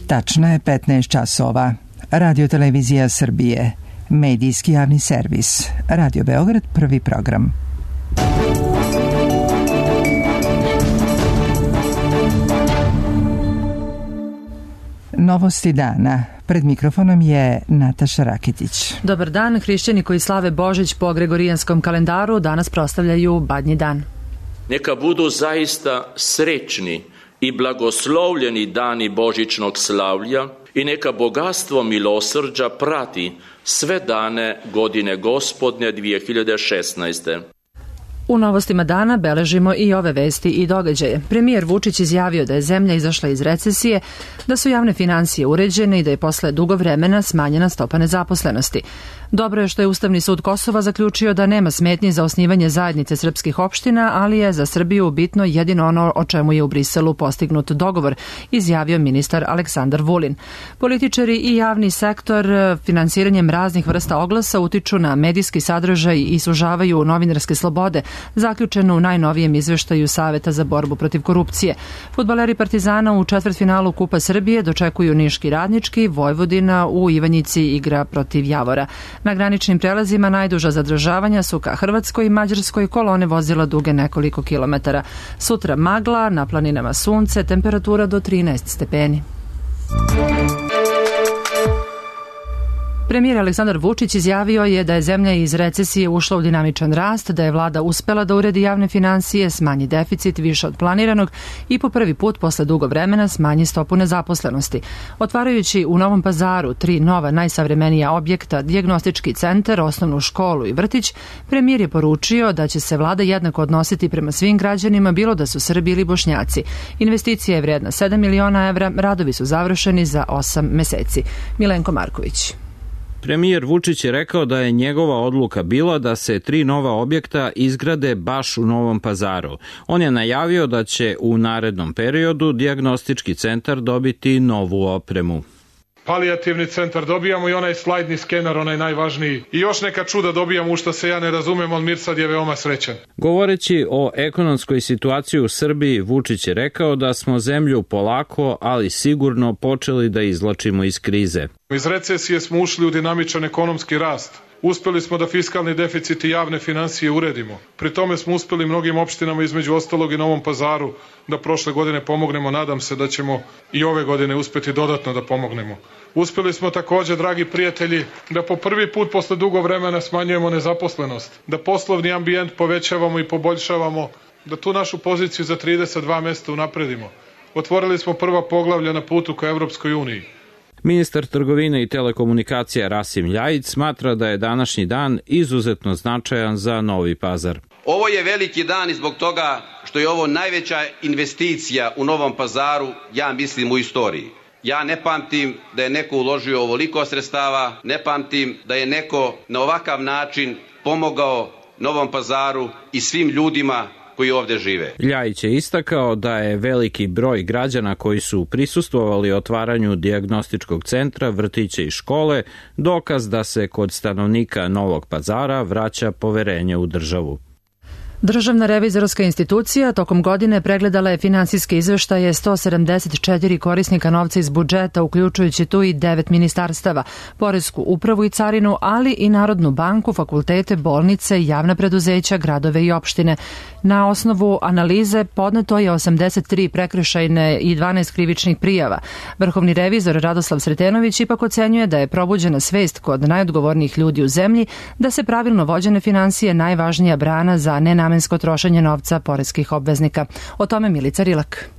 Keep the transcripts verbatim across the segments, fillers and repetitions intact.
Tačno je petnaest časova. Radio Televizija Srbije. Medijski javni servis. Radio Beograd, prvi program. Novosti dana. Pred mikrofonom je Nataša Rakitić. Dobar dan. Hrišćani koji slave Božić po Gregorijanskom kalendaru danas proslavljaju Badnji dan. Neka budu zaista srećni i blagoslovljeni dani božićnog slavlja i neka bogatstvo milosrđa prati sve dane godine Gospodnje dvije hiljade šesnaeste. U novostima dana beležimo i ove vesti i događaje. Premijer Vučić izjavio da je zemlja izašla iz recesije, da su javne finansije uređene i da je posle dugo vremena smanjena stopa nezaposlenosti. Dobro je što je Ustavni sud Kosova zaključio da nema smetnji za osnivanje zajednice srpskih opština, ali je za Srbiju bitno jedino ono o čemu je u Briselu postignut dogovor, izjavio ministar Aleksandar Vulin. Političari i javni sektor finansiranjem raznih vrsta oglasa utiču na medijski sadržaj i sužavaju novinarske slobode, zaključeno u najnovijem izveštaju Saveta za borbu protiv korupcije. Fudbaleri Partizana u četvrtfinalu Kupa Srbije dočekuju Niški Radnički, Vojvodina u Ivanjici igra protiv Javora. Na graničnim prelazima najduža zadržavanja su ka Hrvatskoj i Mađarskoj, kolone vozila duge nekoliko kilometara. Sutra magla, na planinama sunce, temperatura do trinaest stepeni. Premijer Aleksandar Vučić izjavio je da je zemlja iz recesije ušla u dinamičan rast, da je vlada uspela da uredi javne finansije, smanji deficit više od planiranog i po prvi put posle dugo vremena smanji stopu nezaposlenosti. Otvarajući u Novom Pazaru tri nova najsavremenija objekta, dijagnostički centar, osnovnu školu i vrtić, premijer je poručio da će se vlada jednako odnositi prema svim građanima, bilo da su Srbi ili Bošnjaci. Investicija je vredna sedam miliona evra, radovi su završeni za osam meseci. Milenko Marković. Premijer Vučić je rekao da je njegova odluka bila da se tri nova objekta izgrade baš u Novom Pazaru. On je najavio da će u narednom periodu dijagnostički centar dobiti novu opremu. Palijativni centar dobijamo i onaj slajdni skener, onaj najvažniji. I još neka čuda dobijamo u što se ja ne razumem, ali Mirsad je veoma srećan. Govoreći o ekonomskoj situaciji u Srbiji, Vučić je rekao da smo zemlju polako, ali sigurno počeli da izvlačimo iz krize. Iz recesije smo ušli u dinamičan ekonomski rast. Uspeli smo da fiskalni deficit i javne finansije uredimo. Pri tome smo uspeli mnogim opštinama, između ostalog i Novom Pazaru, da prošle godine pomognemo. Nadam se da ćemo i ove godine uspeti dodatno da pomognemo. Uspeli smo takođe, dragi prijatelji, da po prvi put posle dugo vremena smanjujemo nezaposlenost, da poslovni ambijent povećavamo i poboljšavamo, da tu našu poziciju za trideset dva mesta unapredimo. Otvorili smo prva poglavlja na putu ka Evropskoj uniji. Ministar trgovine i telekomunikacija Rasim Ljajić smatra da je današnji dan izuzetno značajan za Novi Pazar. Ovo je veliki dan i zbog toga što je ovo najveća investicija u Novom Pazaru, ja mislim, u istoriji. Ja ne pamtim da je neko uložio ovoliko sredstava, ne pamtim da je neko na ovakav način pomogao Novom Pazaru i svim ljudima koji ovde žive. Ljajić je istakao da je veliki broj građana koji su prisustvovali otvaranju dijagnostičkog centra, vrtića i škole dokaz da se kod stanovnika Novog Pazara vraća poverenje u državu. Državna revizorska institucija tokom godine pregledala je finansijske izveštaje sto sedamdeset četiri korisnika novca iz budžeta, uključujući tu i devet ministarstava, poresku upravu i carinu, ali i Narodnu banku, fakultete, bolnice, javna preduzeća, gradove i opštine. Na osnovu analize podneto je osamdeset tri prekršajne i dvanaest krivičnih prijava. Vrhovni revizor Radoslav Sretenović ipak ocenjuje da je probuđena svest kod najodgovornijih ljudi u zemlji da se pravilno vođene finansije najvažnija brana za nenamensko trošenje novca poreskih obveznika. O tome Milica Rilak.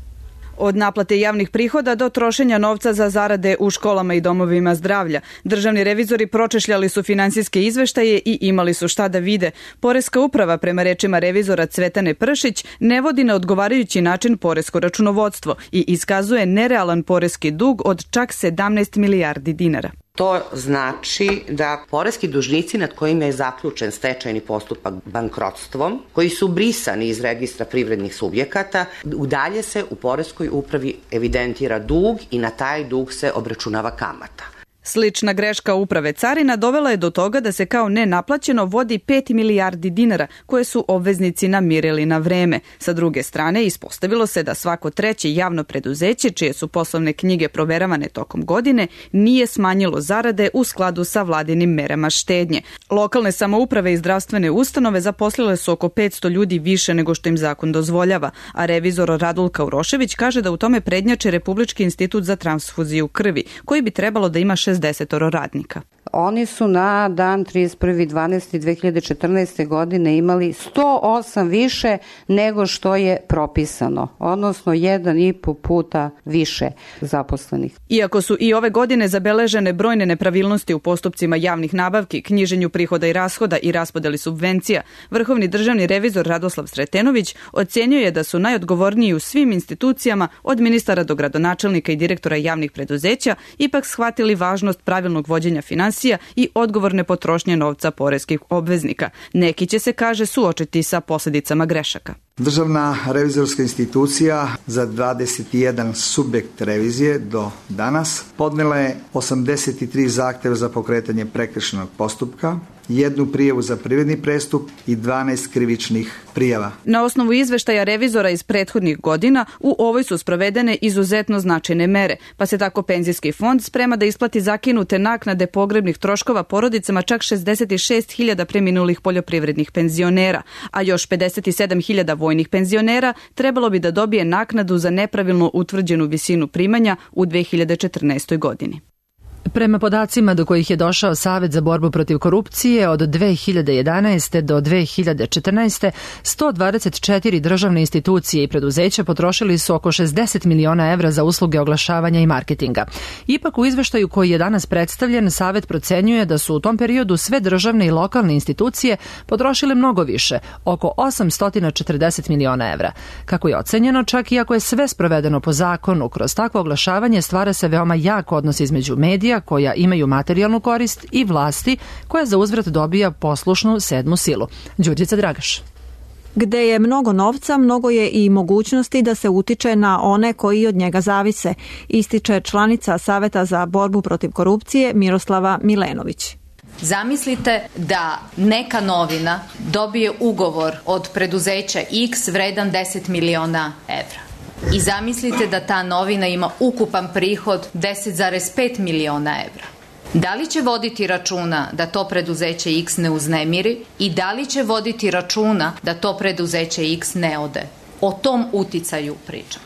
Od naplate javnih prihoda do trošenja novca za zarade u školama i domovima zdravlja. Državni revizori pročešljali su finansijske izveštaje i imali su šta da vide. Poreska uprava, prema rečima revizora Cvetane Pršić, ne vodi na odgovarajući način poresko računovodstvo i iskazuje nerealan poreski dug od čak sedamnaest milijardi dinara. To znači da poreski dužnici nad kojima je zaključen stečajni postupak bankrotstvom, koji su brisani iz registra privrednih subjekata, udalje se u poreskoj upravi evidentira dug i na taj dug se obračunava kamata. Slična greška uprave carina dovela je do toga da se kao nenaplaćeno vodi pet milijardi dinara koje su obveznici namirili na vreme. Sa druge strane, ispostavilo se da svako treće javno preduzeće, čije su poslovne knjige proveravane tokom godine, nije smanjilo zarade u skladu sa vladinim merama štednje. Lokalne samouprave i zdravstvene ustanove zaposlile su oko petsto ljudi više nego što im zakon dozvoljava, a revizor Radulka Urošević kaže da u tome prednjači Republički institut za transfuziju krvi, koji bi trebalo da ima šezdeset radnika. Oni su na dan trideset prvi decembar dve hiljade četrnaeste. godine imali sto osam više nego što je propisano, odnosno jedan i po puta više zaposlenih. Iako su i ove godine zabeležene brojne nepravilnosti u postupcima javnih nabavki, knjiženju prihoda i rashoda i raspodeli subvencija, Vrhovni državni revizor Radoslav Sretenović ocenio je da su najodgovorniji u svim institucijama, od ministara do gradonačelnika i direktora javnih preduzeća, ipak shvatili važnost pravilnog vođenja finansija i odgovorne potrošnje novca poreskih obveznika. Neki će se, kaže, suočiti sa posljedicama grešaka. Državna revizorska institucija za dvadeset jedan subjekt revizije do danas podnela je osamdeset tri zahtjeva za pokretanje prekršajnog postupka, jednu prijavu za privredni prestup i dvanaest krivičnih prijava. Na osnovu izveštaja revizora iz prethodnih godina u ovoj su sprovedene izuzetno značajne mere, pa se tako penzijski fond sprema da isplati zakinute naknade pogrebnih troškova porodicama čak šezdeset šest hiljada preminulih poljoprivrednih penzionera, a još pedeset sedam hiljada vojnih penzionera trebalo bi da dobije naknadu za nepravilno utvrđenu visinu primanja u dve hiljade četrnaestoj. godini. Prema podacima do kojih je došao Savet za borbu protiv korupcije, od dve hiljade jedanaeste. do dve hiljade četrnaeste. sto dvadeset četiri državne institucije i preduzeća potrošili su oko šezdeset miliona evra za usluge oglašavanja i marketinga. Ipak u izveštaju koji je danas predstavljen, Savet procenjuje da su u tom periodu sve državne i lokalne institucije potrošile mnogo više, oko osamsto četrdeset miliona evra. Kako je ocenjeno, čak i ako je sve sprovedeno po zakonu, kroz takvo oglašavanje stvara se veoma jak odnos između medija koja imaju materijalnu korist i vlasti koja za uzvrat dobija poslušnu sedmu silu. Đurđica Dragaš. Gde je mnogo novca, mnogo je i mogućnosti da se utiče na one koji od njega zavise, ističe članica Saveta za borbu protiv korupcije Miroslava Milenović. Zamislite da neka novina dobije ugovor od preduzeća X vredan deset miliona evra. I zamislite da ta novina ima ukupan prihod deset zarez pet miliona evra. Da li će voditi računa da to preduzeće X ne uznemiri i da li će voditi računa da to preduzeće X ne ode? O tom uticaju pričam.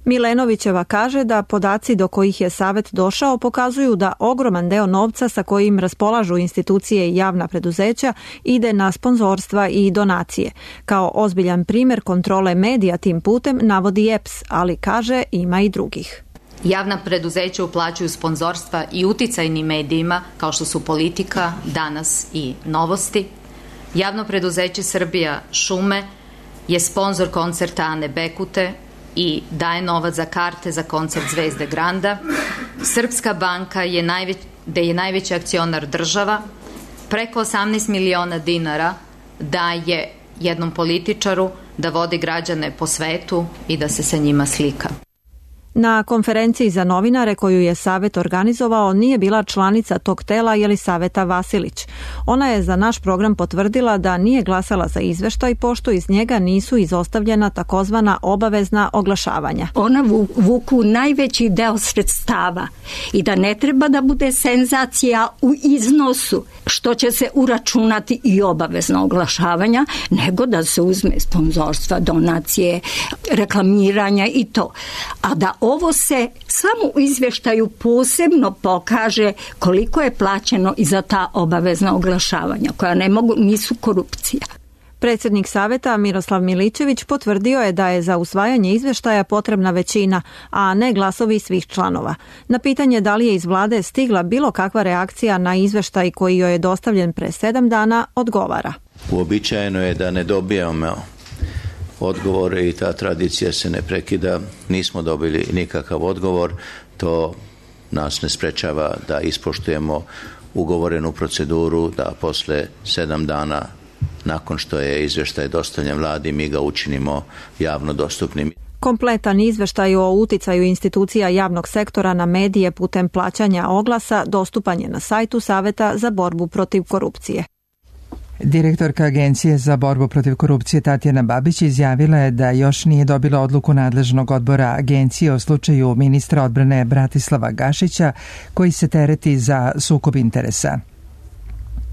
Milenovićeva kaže da podaci do kojih je Savet došao pokazuju da ogroman deo novca sa kojim raspolažu institucije i javna preduzeća ide na sponzorstva i donacije. Kao ozbiljan primjer kontrole medija tim putem navodi E P S, ali kaže ima i drugih. Javna preduzeća uplaćuju sponzorstva i uticajnim medijima kao što su Politika, Danas i Novosti. Javno preduzeće Srbija šume je sponzor koncerta Ane Bekute i daje novac za karte za koncert Zvezde Granda. Srpska banka je najveć, gde je najveći akcionar država, preko osamnaest miliona dinara daje jednom političaru da vodi građane po svetu i da se sa njima slika. Na konferenciji za novinare koju je Savet organizovao nije bila članica tog tela Jelisaveta Vasilić. Ona je za naš program potvrdila da nije glasala za izveštaj pošto iz njega nisu izostavljena takozvana obavezna oglašavanja. Ona vuku najveći deo sredstava i da ne treba da bude senzacija u iznosu što će se uračunati i obavezna oglašavanja, nego da se uzme sponzorstva, donacije, reklamiranja i to. A da ovo se samo u izvještaju posebno pokaže koliko je plaćeno i za ta obavezna oglašavanja, koja ne mogu, nisu korupcija. Predsjednik Saveta Miroslav Miličević potvrdio je da je za usvajanje izvještaja potrebna većina, a ne glasovi svih članova. Na pitanje da li je iz vlade stigla bilo kakva reakcija na izvještaj koji joj je dostavljen pre sedam dana, odgovara. Uobičajeno je da ne dobijamo odgovore i ta tradicija se ne prekida. Nismo dobili nikakav odgovor, to nas ne sprečava da ispoštujemo ugovorenu proceduru, da posle sedam dana nakon što je izvještaj dostavljen vladi mi ga učinimo javno dostupnim. Kompletan izveštaj o uticaju institucija javnog sektora na medije putem plaćanja oglasa dostupan je na sajtu Saveta za borbu protiv korupcije. Direktorka Agencije za borbu protiv korupcije Tatjana Babić izjavila je da još nije dobila odluku nadležnog odbora agencije o slučaju ministra odbrane Bratislava Gašića koji se tereti za sukob interesa.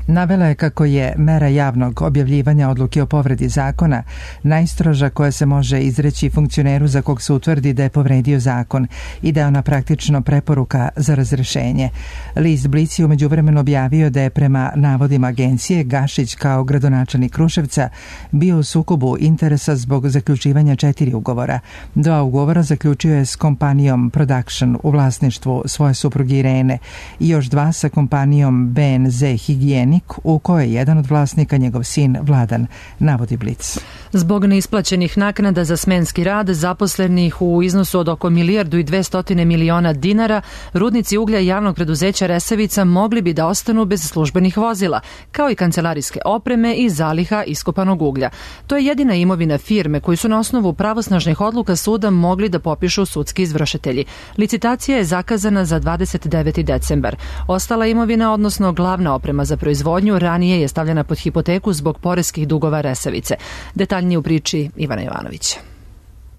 Navela je kako je mera javnog objavljivanja odluke o povredi zakona najstroža koja se može izreći funkcioneru za kog se utvrdi da je povredio zakon i da je ona praktično preporuka za razrešenje. List Blic je umeđu vremenu objavio da je prema navodima agencije Gašić kao gradonačelnik Kruševca bio u sukobu interesa zbog zaključivanja četiri ugovora. Dva ugovora zaključio je s kompanijom Production u vlasništvu svoje supruge Irene i još dva sa kompanijom B N Z Higijeni u kojoj je jedan od vlasnika njegov sin Vladan, navodi Blic. Zbog neisplaćenih naknada za smenski rad zaposlenih u iznosu od oko milijardu i dvestotine miliona dinara, rudnici uglja javnog preduzeća Resavica mogli bi da ostanu bez službenih vozila, kao i kancelarijske opreme i zaliha iskopanog uglja. To je jedina imovina firme koju su na osnovu pravosnažnih odluka suda mogli da popišu sudski izvršitelji. Licitacija je zakazana za dvadeset deveti decembar. Ostala imovina, odnosno glavna oprema za proizvodnju, ranije je stavljena pod hipoteku zbog poreskih dugova Resavice. Detaljnije u priči Ivana Jovanovića.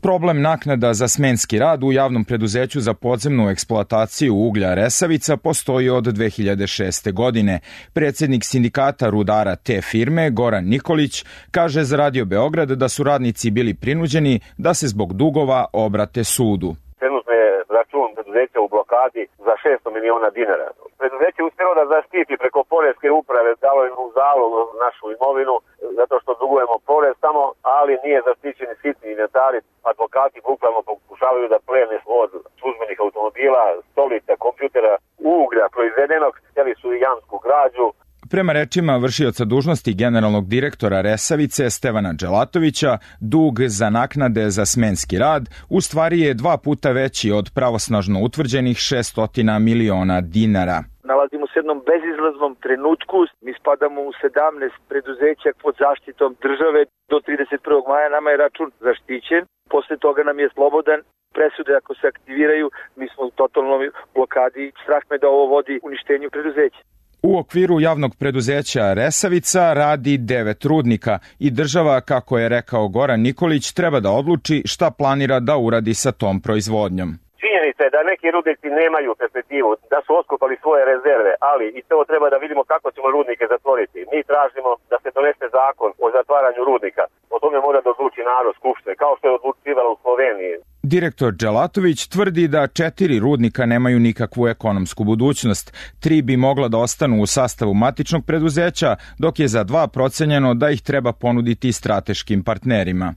Problem naknada za smenski rad u javnom preduzeću za podzemnu eksploataciju uglja Resavica postoji od dve hiljade šeste. godine. Predsjednik sindikata rudara te firme, Goran Nikolić, kaže za Radio Beograd da su radnici bili prinuđeni da se zbog dugova obrate sudu. Trenutno je račun preduzeća u blokadi za šesto miliona dinara. Preduzeće je uspjelo da zaštiti preko poreske uprave, dalo im u zalog našu imovinu, zato što dugujemo porez tamo, ali nije zaštićeni sitni inventari. Advokati bukvalno pokušavaju da plene od službenih automobila, stolica, kompjutera, uglja proizvedenog, htjeli su i jamsku građu. Prema rečima vršioca dužnosti generalnog direktora Resavice Stevana Dželatovića, dug za naknade za smenski rad u stvari je dva puta veći od pravosnažno utvrđenih šesnaest miliona dinara. Nalazimo se u jednom bezizlaznom trenutku. Mi spadamo u sedamnaest preduzeća pod zaštitom države. Do trideset prvog maja nama je račun zaštićen. Posle toga nam je slobodan. Presude ako se aktiviraju, mi smo u totalnoj blokadi. Strah me da ovo vodi uništenju preduzeća. U okviru javnog preduzeća Resavica radi devet rudnika i država, kako je rekao Goran Nikolić, treba da odluči šta planira da uradi sa tom proizvodnjom. Činjenica je da neki rudnici nemaju perspektivu, da su oskopali svoje rezerve, ali i to treba da vidimo kako ćemo rudnike zatvoriti. Mi tražimo da se donese zakon o zatvaranju rudnika. O tome mora da odluči narod skupštine, kao što je odlučivalo u Sloveniji. Direktor Dželatović tvrdi da četiri rudnika nemaju nikakvu ekonomsku budućnost. Tri bi mogla da ostanu u sastavu matičnog preduzeća, dok je za dva procenjeno da ih treba ponuditi strateškim partnerima.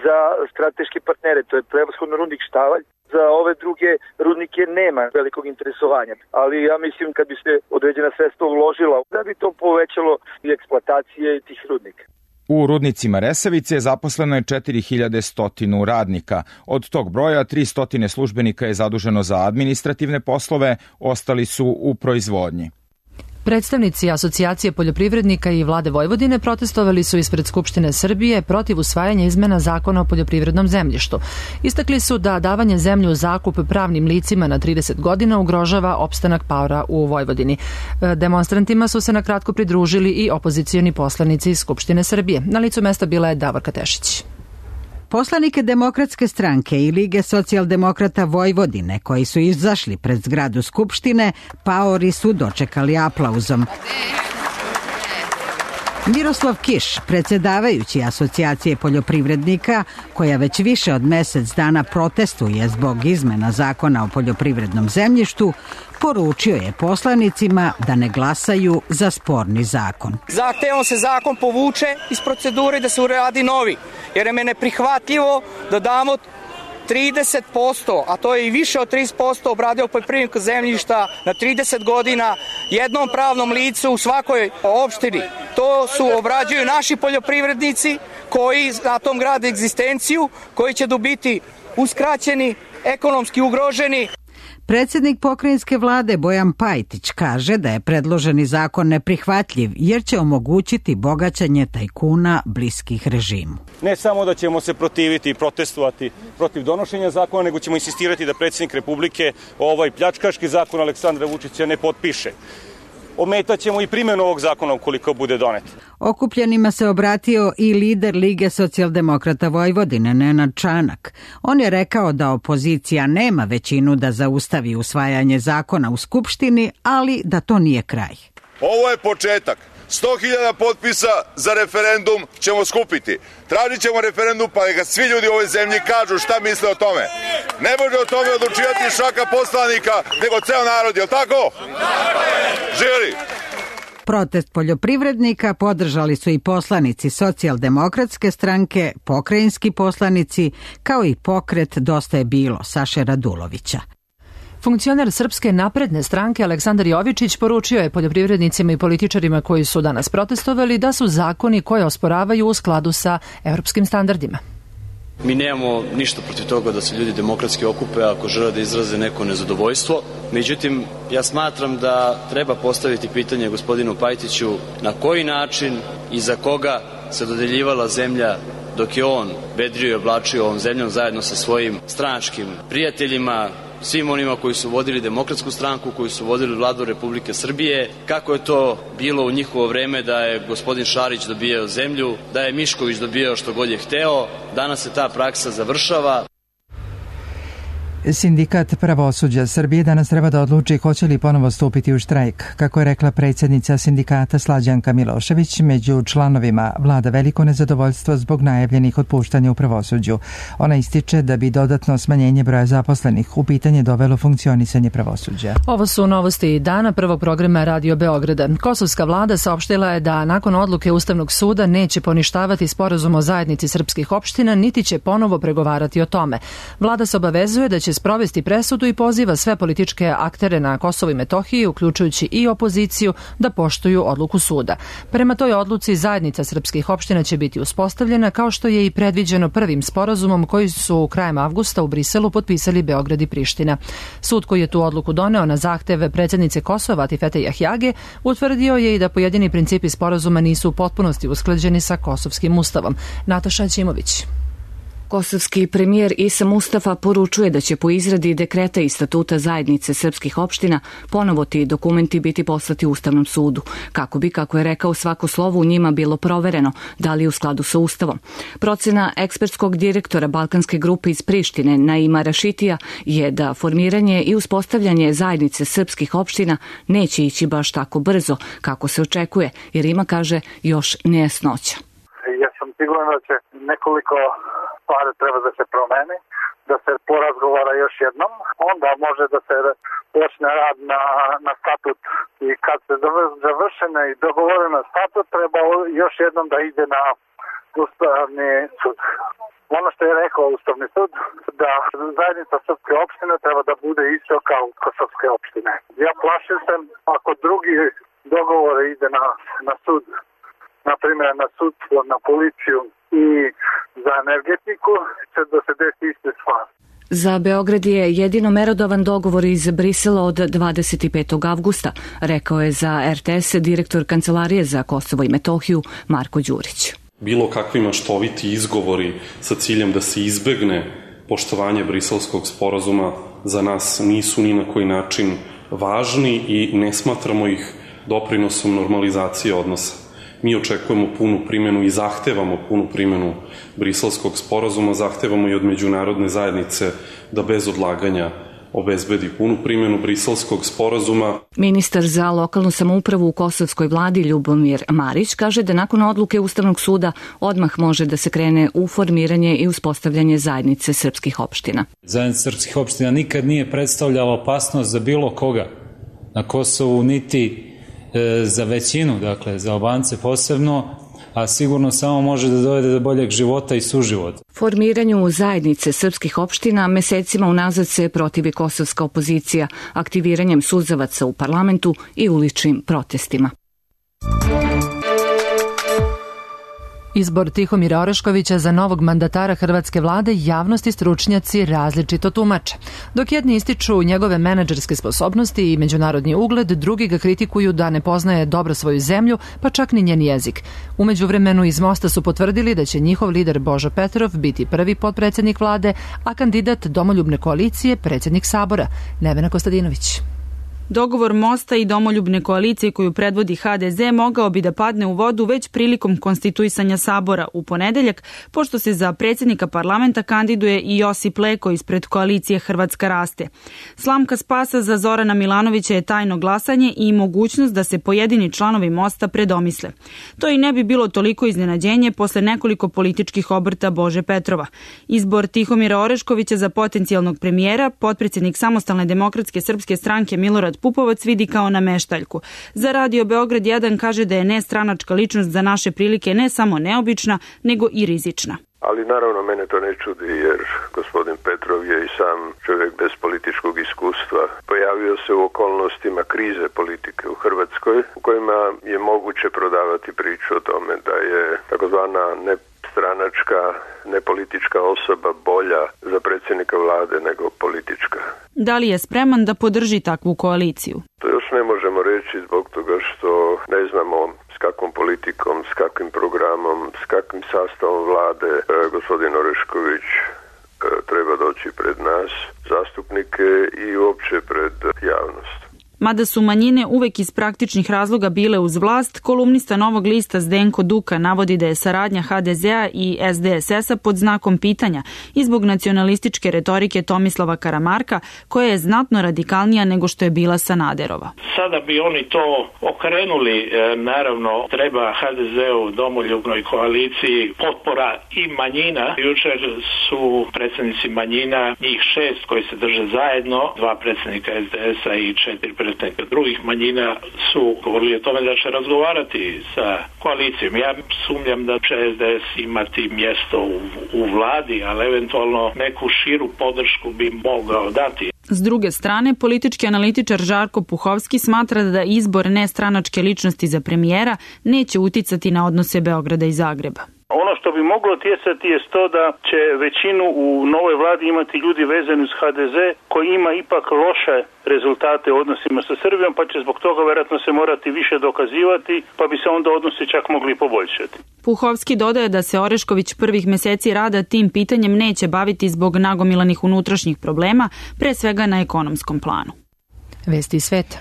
Za strateške partnere, to je prevashodno rudnik Štavalj. Za ove druge rudnike nema velikog interesovanja, ali ja mislim kad bi se određena sredstva uložila, da bi to povećalo i eksploatacije tih rudnika. U rudnicima Resavice zaposleno je četiri hiljade sto radnika. Od tog broja tristo službenika je zaduženo za administrativne poslove, ostali su u proizvodnji. Predstavnici Asocijacije poljoprivrednika i Vlade Vojvodine protestovali su ispred Skupštine Srbije protiv usvajanja izmena Zakona o poljoprivrednom zemljištu. Istakli su da davanje zemlje u zakup pravnim licima na trideset godina ugrožava opstanak paora u Vojvodini. Demonstrantima su se na kratko pridružili i opozicioni poslanici iz Skupštine Srbije. Na licu mesta bila je Davorka Tešić. Poslanike Demokratske stranke i Lige socijaldemokrata Vojvodine koji su izašli pred zgradu Skupštine, paori su dočekali aplauzom. Miroslav Kiš, predsjedavajući Asocijacije poljoprivrednika, koja već više od mjesec dana protestuje zbog izmena Zakona o poljoprivrednom zemljištu, poručio je poslanicima da ne glasaju za sporni zakon. Zahtevom se zakon povuče iz procedure i da se uradi novi, jer je mene prihvatljivo da damo trideset posto, a to je i više od trideset posto obradivog poljoprivrednog zemljišta na trideset godina jednom pravnom licu u svakoj opštini. To su obrađuju naši poljoprivrednici koji na tom grade egzistenciju, koji će biti uskraćeni, ekonomski ugroženi. Predsjednik pokrajinske vlade Bojan Pajtić kaže da je predloženi zakon neprihvatljiv jer će omogućiti bogaćenje tajkuna bliskih režimu. Ne samo da ćemo se protiviti i protestovati protiv donošenja zakona, nego ćemo insistirati da predsjednik Republike ovaj pljačkaški zakon Aleksandra Vučića ne potpiše. Ometaćemo i primjenu ovog zakona ukoliko bude donet. Okupljenima se obratio i lider Lige socijaldemokrata Vojvodine, Nenad Čanak. On je rekao da opozicija nema većinu da zaustavi usvajanje zakona u Skupštini, ali da to nije kraj. Ovo je početak. sto hiljada potpisa za referendum ćemo skupiti. Tražit ćemo referendum pa neka svi ljudi u ovoj zemlji kažu šta misle o tome. Ne može o tome odlučivati šaka poslanika, nego ceo narod, je li tako? Živjeli! Protest poljoprivrednika podržali su i poslanici Socijaldemokratske stranke, pokrajinski poslanici, kao i pokret Dosta je bilo Saše Radulovića. Funkcioner Srpske napredne stranke Aleksandar Jovičić poručio je poljoprivrednicima i političarima koji su danas protestovali da su zakoni koje osporavaju u skladu sa evropskim standardima. Mi nemamo ništa protiv toga da se ljudi demokratski okupe ako žele da izraze neko nezadovoljstvo. Međutim, ja smatram da treba postaviti pitanje gospodinu Pajtiću na koji način i za koga se dodeljivala zemlja dok je on vedrio i oblačio ovom zemljom zajedno sa svojim stranačkim prijateljima, svim onima koji su vodili Demokratsku stranku, koji su vodili vladu Republike Srbije, kako je to bilo u njihovo vreme da je gospodin Šarić dobijao zemlju, da je Mišković dobijao što god je hteo. Danas se ta praksa završava. Sindikat pravosuđa Srbije danas treba da odluči hoće li ponovo stupiti u štrajk. Kako je rekla predsjednica sindikata Slađanka Milošević, među članovima vlada veliko nezadovoljstvo zbog najavljenih otpuštanja u pravosuđu. Ona ističe da bi dodatno smanjenje broja zaposlenih u pitanje dovelo funkcionisanje pravosuđa. Ovo su novosti dana prvog programa Radio Beograda. Kosovska vlada saopštila je da nakon odluke Ustavnog suda neće poništavati sporazum o zajednici srpskih opština, niti će ponovo pregovarati o tome. Vlada se obavezuje da će sprovesti presudu i poziva sve političke aktere na Kosovu i Metohiji, uključujući i opoziciju, da poštuju odluku suda. Prema toj odluci zajednica srpskih opština će biti uspostavljena, kao što je i predviđeno prvim sporazumom koji su krajem avgusta u Briselu potpisali Beograd i Priština. Sud koji je tu odluku doneo na zahtev predsjednice Kosova Atifete Jahjage utvrdio je i da pojedini principi sporazuma nisu u potpunosti usklađeni sa kosovskim ustavom. Nataša Ćimović. Kosovski premijer Isa Mustafa poručuje da će po izradi dekreta i statuta zajednice srpskih opština ponovo ti dokumenti biti poslati Ustavnom sudu, kako bi, kako je rekao, svako slovo u njima bilo provereno, da li je u skladu sa Ustavom. Procena ekspertskog direktora Balkanske grupe iz Prištine, Naima Rašitija, je da formiranje i uspostavljanje zajednice srpskih opština neće ići baš tako brzo kako se očekuje, jer ima, kaže, još nejasnoća. Ja sam siguran da će nekoliko stvari treba da se promeni, da se porazgovara još jednom, onda može da se počne rad na, na statut i kad se završene i dogovoreno statut treba još jednom da ide na Ustavni sud. Ono što je rekao Ustavni sud, da zajednica srpske opštine treba da bude isto kao kosovske opštine. Ja plašim se ako drugi dogovor ide na, na sud, na primjer na sudstvo, na policiju i za energetiku, će da se desi iste stvari. Za Beograd je jedino merodavan dogovor iz Brisela od dvadeset petog avgusta, rekao je za er te es direktor Kancelarije za Kosovo i Metohiju Marko Đurić. Bilo kakvi maštoviti izgovori sa ciljem da se izbegne poštovanje briselskog sporazuma za nas nisu ni na koji način važni i ne smatramo ih doprinosom normalizacije odnosa. Mi očekujemo punu primjenu i zahtevamo punu primjenu briselskog sporazuma, zahtevamo i od međunarodne zajednice da bez odlaganja obezbedi punu primjenu briselskog sporazuma. Ministar za lokalnu samoupravu u kosovskoj vladi Ljubomir Marić kaže da nakon odluke Ustavnog suda odmah može da se krene u formiranje i uspostavljanje zajednice srpskih opština. Zajednica srpskih opština nikad nije predstavljala opasnost za bilo koga na Kosovu, niti za većinu, dakle za Albance posebno, a sigurno samo može da dovede do boljeg života i suživota. Formiranju zajednice srpskih opština mesecima unazad se protivi kosovska opozicija aktiviranjem suzavaca u parlamentu i uličnim protestima. Izbor Tihomira Oreškovića za novog mandatara hrvatske vlade javnost i stručnjaci različito tumače. Dok jedni ističu njegove menadžerske sposobnosti i međunarodni ugled, drugi ga kritikuju da ne poznaje dobro svoju zemlju, pa čak ni njen jezik. U međuvremenu iz Mosta su potvrdili da će njihov lider Božo Petrov biti prvi potpredsjednik vlade, a kandidat Domoljubne koalicije predsjednik Sabora, Nevena Kostadinović. Dogovor Mosta i Domoljubne koalicije koju predvodi ha de ze mogao bi da padne u vodu već prilikom konstituisanja Sabora u ponedeljak, pošto se za predsjednika parlamenta kandiduje i Josip Leko ispred koalicije Hrvatska raste. Slamka spasa za Zorana Milanovića je tajno glasanje i mogućnost da se pojedini članovi Mosta predomisle. To i ne bi bilo toliko iznenađenje posle nekoliko političkih obrta Bože Petrova. Izbor Tihomira Oreškovića za potencijalnog premijera, potpredsjednik Samostalne demokratske srpske stranke Milorad Pupovac vidi kao nameštaljku. Za Radio Beograd jedan kaže da je nestranačka ličnost za naše prilike ne samo neobična, nego i rizična. Ali naravno mene to ne čudi jer gospodin Petrov je i sam čovjek bez političkog iskustva. Pojavio se u okolnostima krize politike u Hrvatskoj u kojima je moguće prodavati priču o tome da je takozvana nestranačka, nepolitička osoba bolja za predsjednika vlade nego politička. Da li je spreman da podrži takvu koaliciju? To još ne možemo reći zbog toga što ne znamo s kakvom politikom, s kakvim programom, s kakvim sastavom vlade e, gospodin Orešković e, treba doći pred nas, zastupnike i uopće pred javnost. Mada su manjine uvek iz praktičnih razloga bile uz vlast, kolumnista Novog lista Zdenko Duka navodi da je saradnja ha de zea i es de es es a pod znakom pitanja i zbog nacionalističke retorike Tomislava Karamarka, koja je znatno radikalnija nego što je bila Sanaderova. Sada bi oni to okrenuli, naravno treba ha de zeu Domoljubnoj koaliciji potpora i manjina. Jučer su predsjednici manjina, njih šest koji se drže zajedno, dva predsjednika es de es a i četiri predsjednika drugih manjina su govorili o tome da će razgovarati sa koalicijom. Ja sumnjam da će es de es imati mjesto u, u vladi, ali eventualno neku širu podršku bi mogao dati. S druge strane, politički analitičar Žarko Puhovski smatra da izbor nestranačke ličnosti za premijera neće uticati na odnose Beograda i Zagreba. Ono što bi moglo utjecati je to da će većinu u novoj vladi imati ljudi vezani uz ha de ze koji ima ipak loše rezultate u odnosima sa Srbijom, pa će zbog toga vjerojatno se morati više dokazivati, pa bi se onda odnosi čak mogli poboljšati. Puhovski dodaje da se Orešković prvih meseci rada tim pitanjem neće baviti zbog nagomilanih unutrašnjih problema, pre svega na ekonomskom planu. Vesti sveta.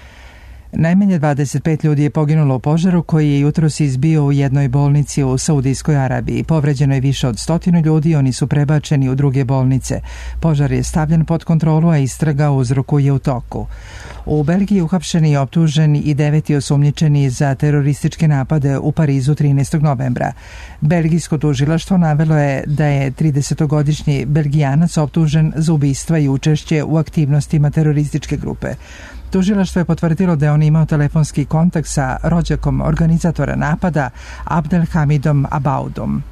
Najmanje dvadeset pet ljudi je poginulo u požaru koji je jutros izbio u jednoj bolnici u Saudijskoj Arabiji. Povređeno je više od stotinu ljudi, oni su prebačeni u druge bolnice. Požar je stavljen pod kontrolu, a istraga o uzroku je u toku. U Belgiji uhapšeni i optuženi i deveti osumnjičeni za terorističke napade u Parizu trinaestog novembra. Belgijsko tužilaštvo navelo je da je tridesetogodišnji Belgijanac optužen za ubistva i učešće u aktivnostima terorističke grupe. Tužilaštvo je potvrdilo da je on imao telefonski kontakt sa rođakom organizatora napada Abdelhamidom Abaudom.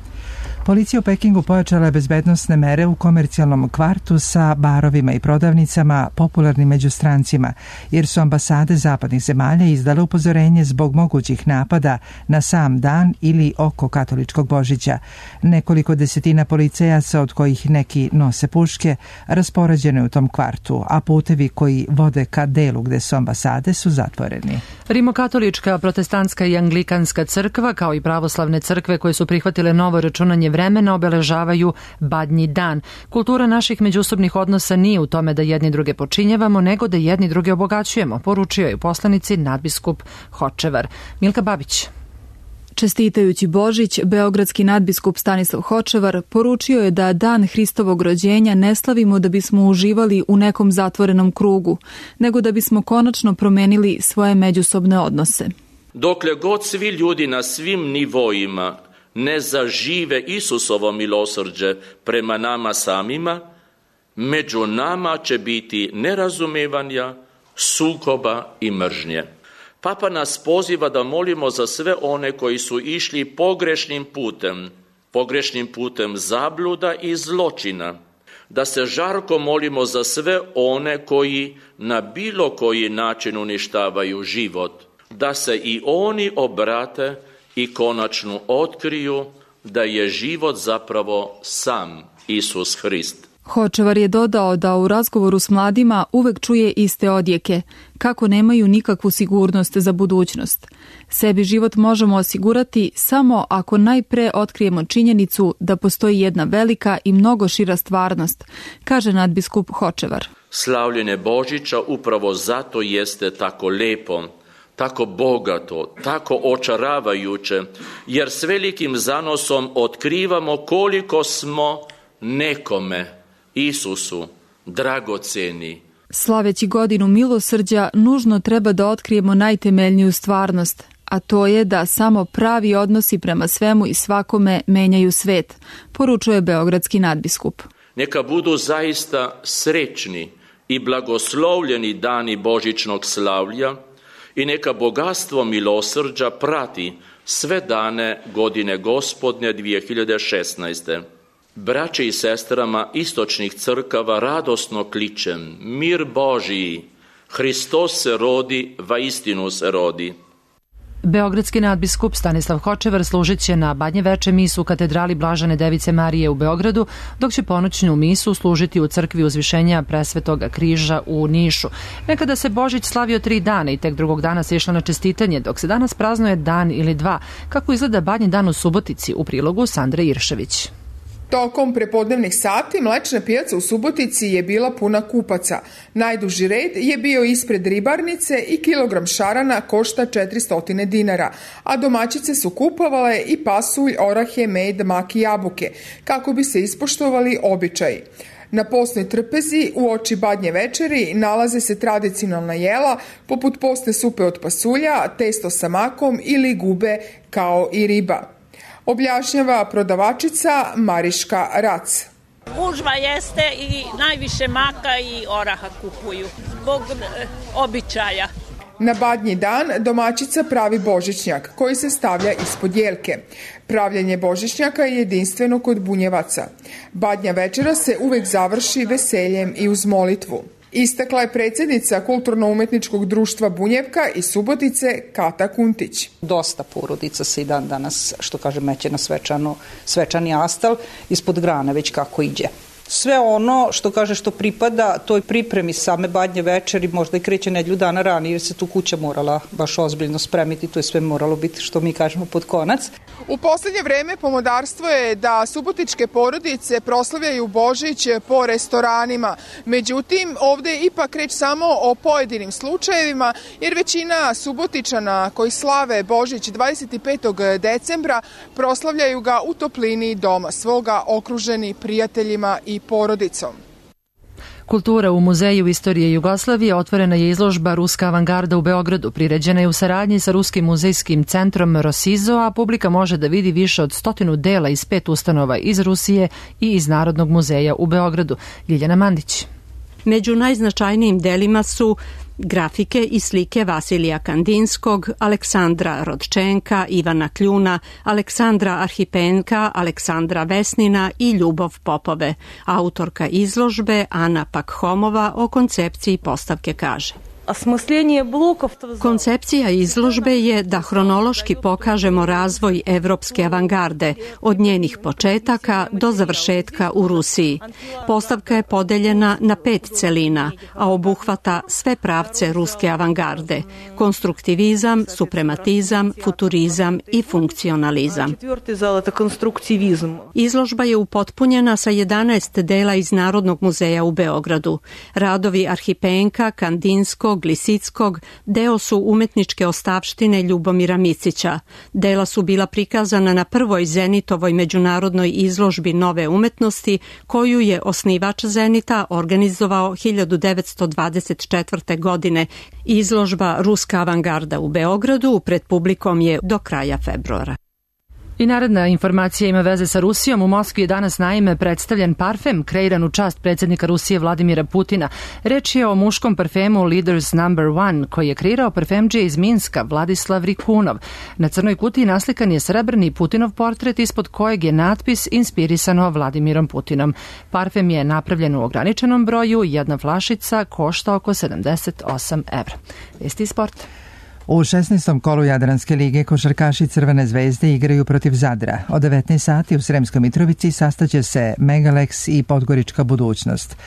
Policija u Pekingu pojačala je bezbednosne mere u komercijalnom kvartu sa barovima i prodavnicama popularnim među strancima, jer su ambasade zapadnih zemalja izdale upozorenje zbog mogućih napada na sam dan ili oko katoličkog Božića. Nekoliko desetina policajaca, od kojih neki nose puške, raspoređene u tom kvartu, a putevi koji vode ka delu gde su ambasade su zatvoreni. Rimokatolička, protestantska i anglikanska crkva, kao i pravoslavne crkve koje su prihvatile novo računanje vremena, obeležavaju Badnji dan. Kultura naših međusobnih odnosa nije u tome da jedni druge počinjavamo, nego da jedni druge obogaćujemo, poručio je u poslanici nadbiskup Hočevar. Milka Babić. Čestitajući Božić, beogradski nadbiskup Stanislav Hočevar poručio je da dan Hristovog rođenja ne slavimo da bismo uživali u nekom zatvorenom krugu, nego da bismo konačno promenili svoje međusobne odnose. Dokle god svi ljudi na svim nivoima ne zažive Isusovo milosrđe prema nama samima, među nama će biti nerazumevanja, sukoba i mržnje. Papa nas poziva da molimo za sve one koji su išli pogrešnim putem, pogrešnim putem zabluda i zločina, da se žarko molimo za sve one koji na bilo koji način uništavaju život, da se i oni obrate i konačno otkriju da je život zapravo sam Isus Hrist. Hočevar je dodao da u razgovoru s mladima uvek čuje iste odjeke, kako nemaju nikakvu sigurnost za budućnost. Sebi život možemo osigurati samo ako najpre otkrijemo činjenicu da postoji jedna velika i mnogo šira stvarnost, kaže nadbiskup Hočevar. Slavljenje Božića upravo zato jeste tako lepo, tako bogato, tako očaravajuće, jer s velikim zanosom otkrivamo koliko smo nekome, Isusu, dragoceni. Slaveći godinu milosrđa, nužno treba da otkrijemo najtemeljniju stvarnost, a to je da samo pravi odnosi prema svemu i svakome menjaju svet, poručuje beogradski nadbiskup. Neka budu zaista srećni i blagoslovljeni dani božićnog slavlja i neka bogatstvo milosrđa prati sve dane godine Gospodnje dvije hiljade šesnaeste. Braće i sestrama istočnih crkava radosno kličem, mir Božiji, Hristos se rodi, vaistinu se rodi. Beogradski nadbiskup Stanislav Hočevar služit će na Badnje veče misu u katedrali Blažene Device Marije u Beogradu, dok će ponoćnu misu služiti u crkvi Uzvišenja Presvetoga križa u Nišu. Nekada se Božić slavio tri dana i tek drugog dana se išlo na čestitanje, dok se danas praznuje dan ili dva. Kako izgleda Badnji dan u Subotici, u prilogu Sandre Iršević. Tokom prepodnevnih sati mlečna pijaca u Subotici je bila puna kupaca. Najduži red je bio ispred ribarnice i kilogram šarana košta četiristo dinara, a domaćice su kupovale i pasulj, orahe, med, mak i jabuke, kako bi se ispoštovali običaji. Na postnoj trpezi u oči Badnje večeri nalaze se tradicionalna jela poput postne supe od pasulja, testo sa makom ili gube kao i riba. Objašnjava prodavačica Mariška Rac. Gužva jeste i najviše maka i oraha kupuju zbog e, običaja. Na Badnji dan domaćica pravi božićnjak koji se stavlja ispod jelke. Pravljenje božićnjaka je jedinstveno kod bunjevaca. Badnja večera se uvek završi veseljem i uz molitvu. Istakla je predsjednica Kulturno-umetničkog društva Bunjevka iz Subotice Kata Kuntić. Dosta porodica se i dan danas, što kaže, meće na svečano, svečani astal ispod grane već kako iđe. Sve ono što kaže što pripada toj pripremi same Badnje večeri, možda i kreće nedlju dana ranije jer se tu kuća morala baš ozbiljno spremiti, to je sve moralo biti što mi kažemo pod konac. U poslednje vreme pomodarstvo je da subotičke porodice proslavljaju Božić po restoranima. Međutim, ovde je ipak reč samo o pojedinim slučajevima, jer većina Subotičana koji slave Božić dvadeset petog decembra proslavljaju ga u toplini doma svoga, okruženi prijateljima i porodicom. Kultura u Muzeju istorije Jugoslavije otvorena je izložba Ruska avangarda u Beogradu. Priređena je u saradnji sa Ruskim muzejskim centrom Rosizo, a publika može da vidi više od stotinu dela iz pet ustanova iz Rusije i iz Narodnog muzeja u Beogradu. Ljiljana Mandić. Među najznačajnijim delima su grafike i slike Vasilija Kandinskog, Aleksandra Rodčenka, Ivana Kljuna, Aleksandra Arhipenka, Aleksandra Vesnina i Ljubov Popove. Autorka izložbe Ana Pakhomova o koncepciji postavke kaže: koncepcija izložbe je da hronološki pokažemo razvoj evropske avangarde od njenih početaka do završetka u Rusiji. Postavka je podeljena na pet celina, a obuhvata sve pravce ruske avangarde: konstruktivizam, suprematizam, futurizam i funkcionalizam. Izložba je upotpunjena sa jedanaest dela iz Narodnog muzeja u Beogradu. Radovi Arhipenka, Kandinskog, Lisickog deo su umetničke ostavštine Ljubomira Micića. Dela su bila prikazana na prvoj Zenitovoj međunarodnoj izložbi nove umetnosti, koju je osnivač Zenita organizovao hiljadu devetsto dvadeset četvrte. godine. Izložba Ruska avangarda u Beogradu pred publikom je do kraja februara. I naredna informacija ima veze sa Rusijom. U Moskvi je danas naime predstavljen parfem kreiran u čast predsjednika Rusije Vladimira Putina. Reč je o muškom parfemu Leaders number one koji je kreirao parfemdžija iz Minska Vladislav Rikunov. Na crnoj kutiji naslikan je srebrni Putinov portret ispod kojeg je natpis inspirisano Vladimirom Putinom. Parfem je napravljen u ograničenom broju, jedna flašica košta oko sedamdeset osam evra. Vesti sport. U šesnaestom kolu Jadranske lige košarkaši Crvene zvezde igraju protiv Zadra. Od devetnaest sati u Sremskoj Mitrovici sastaće se Megalex i Podgorička budućnost.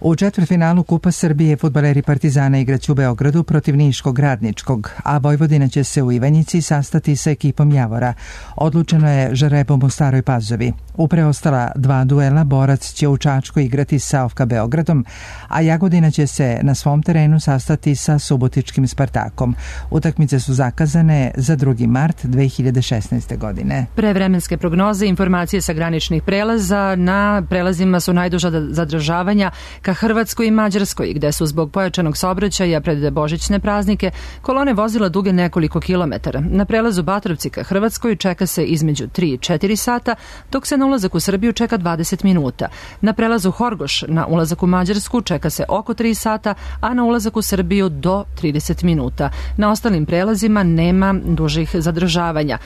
U četvrtfinalu Kupa Srbije fudbaleri Partizana igraće u Beogradu protiv Niškog Radničkog, a Vojvodina će se u Ivanjici sastati sa ekipom Javora. Odlučeno je žrebom u Staroj Pazovi. U preostala dva duela Borac će u Čačku igrati sa O F K Beogradom, a Jagodina će se na svom terenu sastati sa Subotičkim Spartakom. Utakmice su zakazane za drugi mart dve hiljade šesnaeste. godine. Pre vremenske prognoze i informacije sa graničnih prelaza, na prelazima su najduža zadržavanja ka Hrvatskoj i Mađarskoj, gde su zbog pojačanog saobraćaja pred božićne praznike kolone vozila duge nekoliko kilometara. Na prelazu Batrovci ka Hrvatskoj čeka se između tri i četiri sata, dok se na ulazak u Srbiju čeka dvadeset minuta. Na prelazu Horgoš na ulazak u Mađarsku čeka se oko tri sata, a na ulazak u Srbiju do trideset minuta. Na ostalim prelazima nema dužih zadržavanja.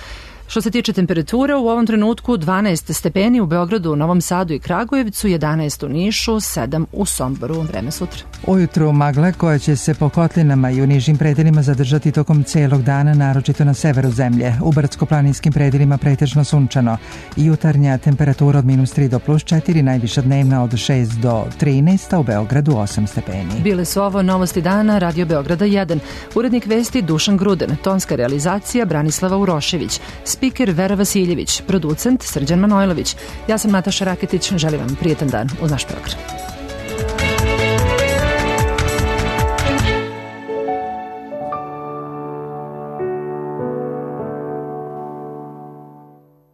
Što se tiče temperature, u ovom trenutku dvanaest stepeni u Beogradu, Novom Sadu i Kragujevcu, jedanaest u Nišu, sedam u Somboru. Vreme sutra. Ujutru magla koja će se po kotlinama i u nižim predelima zadržati tokom celog dana, naročito na severu zemlje. U brdsko-planinskim predelima pretežno sunčano. Jutarnja temperatura od minus tri do plus četiri, najviša dnevna od šest do trinaest, a u Beogradu osam stepeni. Bile su ovo novosti dana Radio Beograda jedan. Urednik vesti Dušan Gruden, tonska realizacija Branislava Urošević, spiker Vera Vasiljević, producent Srđan Manojlović. Ja sam Nataša Raketić, želim vam prijetan dan uz naš program.